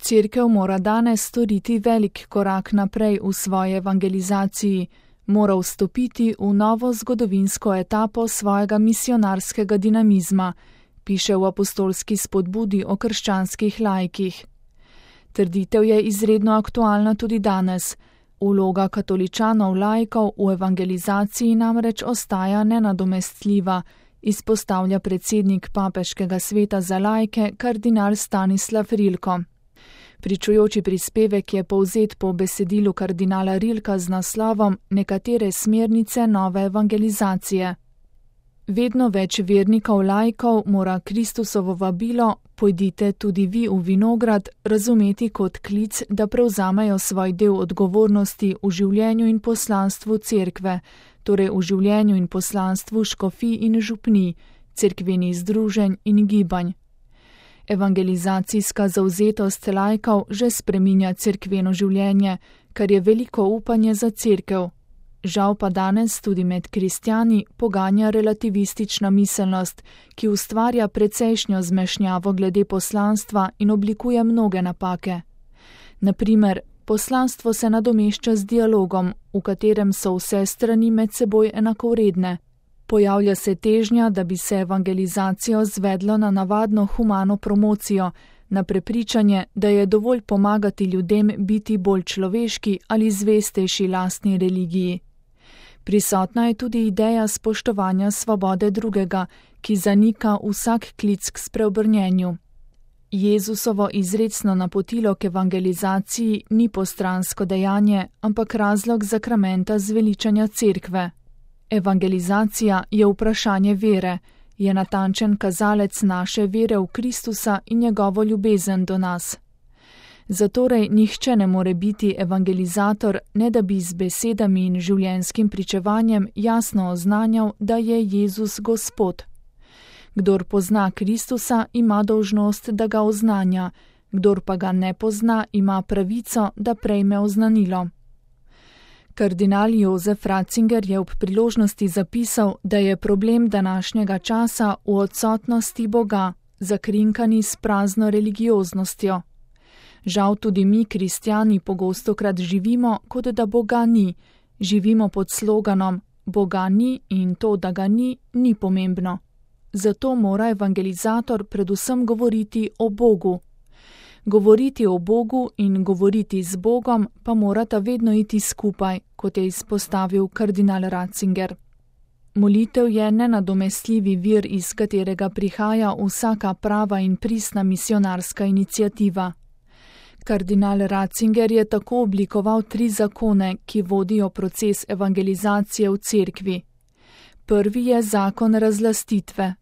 Cerkev mora danes storiti velik korak naprej v svoji evangelizaciji, mora vstopiti v novo zgodovinsko etapo svojega misionarskega dinamizma, piše v apostolski spodbudi o krščanskih laikih. Trditev je izredno aktualna tudi danes. Vloga katoličanov laikov v evangelizaciji namreč ostaja nenadomestljiva, izpostavlja predsednik Papeškega sveta za laike kardinal Stanislav Rilko. Pričujoči prispevek je povzet po besedilu kardinala Rilka z naslovom Nekatere smernice nove evangelizacije. Vedno več vernikov laikov mora Kristusovo vabilo "Pojdite tudi vi v vinograd" razumeti kot klic, da prevzamejo svoj del odgovornosti v življenju in poslanstvu cerkve, torej v življenju in poslanstvu škofij in župnij, cerkvenih združenj in gibanj. Evangelizacijska zavzetost laikov že spreminja cerkveno življenje, kar je veliko upanje za cerkev. Žal pa danes tudi med kristjani poganja relativistična miselnost, ki ustvarja precejšnjo zmešnjavo glede poslanstva in oblikuje mnoge napake. Na primer, poslanstvo se nadomešča z dialogom, v katerem so vse strani med seboj enakovredne. Pojavlja se težnja, da bi se evangelizacijo zvedlo na navadno humano promocijo, na prepričanje, da je dovolj pomagati ljudem biti bolj človeški ali zvestejši lastni religiji. Prisotna je tudi ideja spoštovanja svobode drugega, ki zanika vsak klic k spreobrnjenju. Jezusovo izrecno napotilo k evangelizaciji ni postransko dejanje, ampak razlog zakramenta zveličanja cerkve. Evangelizacija je vprašanje vere, je natančen kazalec naše vere v Kristusa in njegovo ljubezen do nas. Zatorej nihče ne more biti evangelizator, ne da bi z besedami in življenjskim pričevanjem jasno oznanjal, da je Jezus Gospod. Kdor pozna Kristusa, ima dolžnost, da ga oznanja, kdor pa ga ne pozna, ima pravico, da prejme oznanilo. Kardinal Jozef Ratzinger je ob priložnosti zapisal, da je problem današnjega časa v odsotnosti Boga, zakrinkani s prazno religioznostjo. Žal tudi mi, kristjani, pogostokrat živimo, kot da Boga ni. Živimo pod sloganom Boga ni in to, da ga ni, ni pomembno. Zato mora evangelizator predvsem govoriti o Bogu. Govoriti o Bogu in govoriti z Bogom pa morata vedno iti skupaj, kot je izpostavil kardinal Ratzinger. Molitev je nenadomestljivi vir, iz katerega prihaja vsaka prava in pristna misionarska iniciativa. Kardinal Ratzinger je tako oblikoval 3 zakone, ki vodijo proces evangelizacije v cerkvi. Prvi je zakon razlastitve.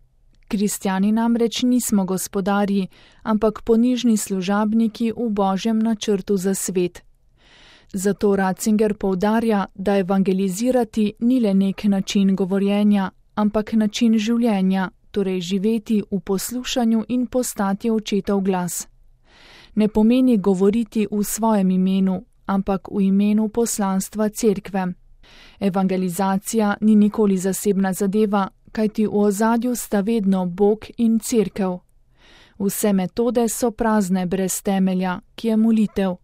Kristjani namreč nismo gospodarji, ampak ponižni služabniki v Božjem načrtu za svet. Zato Ratzinger poudarja, da evangelizirati ni le nek način govorjenja, ampak način življenja, torej živeti v poslušanju in postati očetov glas. Ne pomeni govoriti v svojem imenu, ampak v imenu poslanstva cerkve. Evangelizacija ni nikoli zasebna zadeva, kajti v ozadju sta vedno Bog in cerkev. Vse metode so prazne brez temelja, ki je molitev.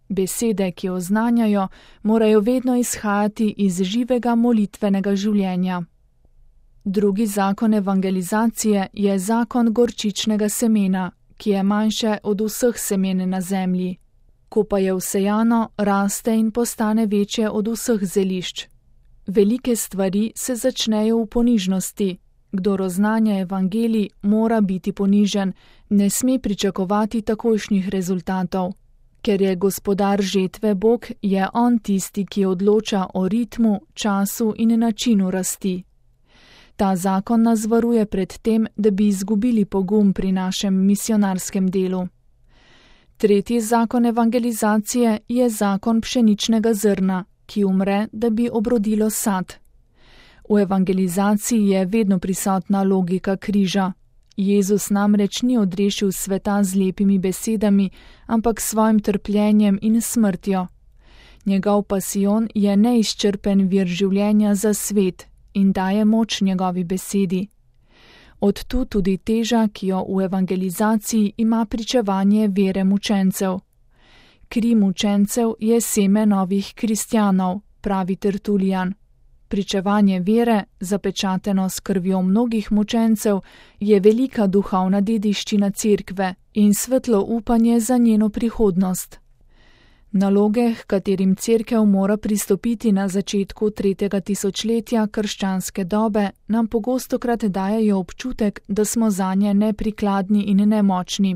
Besede, ki oznanjajo, morajo vedno izhajati iz živega molitvenega življenja. Drugi zakon evangelizacije je zakon gorčičnega semena, ki je manjše od vseh semen na zemlji. Ko pa je vsejano, raste in postane večje od vseh zelišč. Velike stvari se začnejo v ponižnosti. Kdor oznanja evangelij, mora biti ponižen, ne sme pričakovati takojšnjih rezultatov. Ker je gospodar žetve Bog, je on tisti, ki odloča o ritmu, času in načinu rasti. Ta zakon nas varuje pred tem, da bi izgubili pogum pri našem misionarskem delu. Tretji zakon evangelizacije je zakon pšeničnega zrna, ki umre, da bi obrodilo sad. V evangelizaciji je vedno prisotna logika križa. Jezus namreč ni odrešil sveta z lepimi besedami, ampak svojim trpljenjem in smrtjo. Njegov pasijon je neizčrpen vir življenja za svet in daje moč njegovi besedi. Od tu tudi teža, ki jo v evangelizaciji ima pričevanje vere mučencev. Kri mučencev je seme novih kristjanov, pravi Tertulijan. Pričevanje vere, zapečateno s krvjo mnogih mučencev, je velika duhovna dediščina cerkve in svetlo upanje za njeno prihodnost. Naloge, h katerim cerkev mora pristopiti na začetku 3. tisočletja krščanske dobe, nam pogostokrat dajejo občutek, da smo zanje neprikladni in nemočni.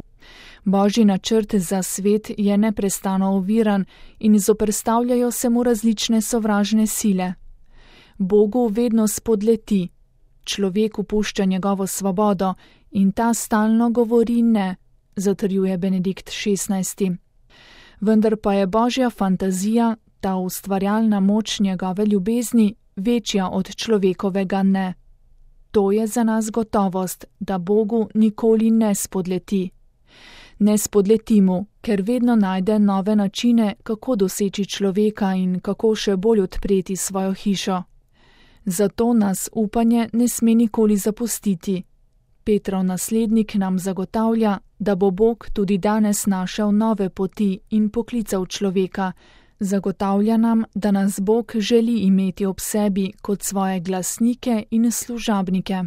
Božji načrt za svet je neprestano oviran in zoperstavljajo se mu različne sovražne sile. Bogu vedno spodleti, človeku pušča njegovo svobodo in ta stalno govori ne, zatrjuje Benedikt XVI. Vendar pa je Božja fantazija, ta ustvarjalna moč njegove ljubezni, večja od človekovega ne. To je za nas gotovost, da Bogu nikoli ne spodleti. Ne spodleti mu, ker vedno najde nove načine, kako doseči človeka in kako še bolj odpreti svojo hišo. Zato nas upanje ne sme nikoli zapustiti. Petrov naslednik nam zagotavlja, da bo Bog tudi danes našel nove poti in poklical človeka. Zagotavlja nam, da nas Bog želi imeti ob sebi kot svoje glasnike in služabnike.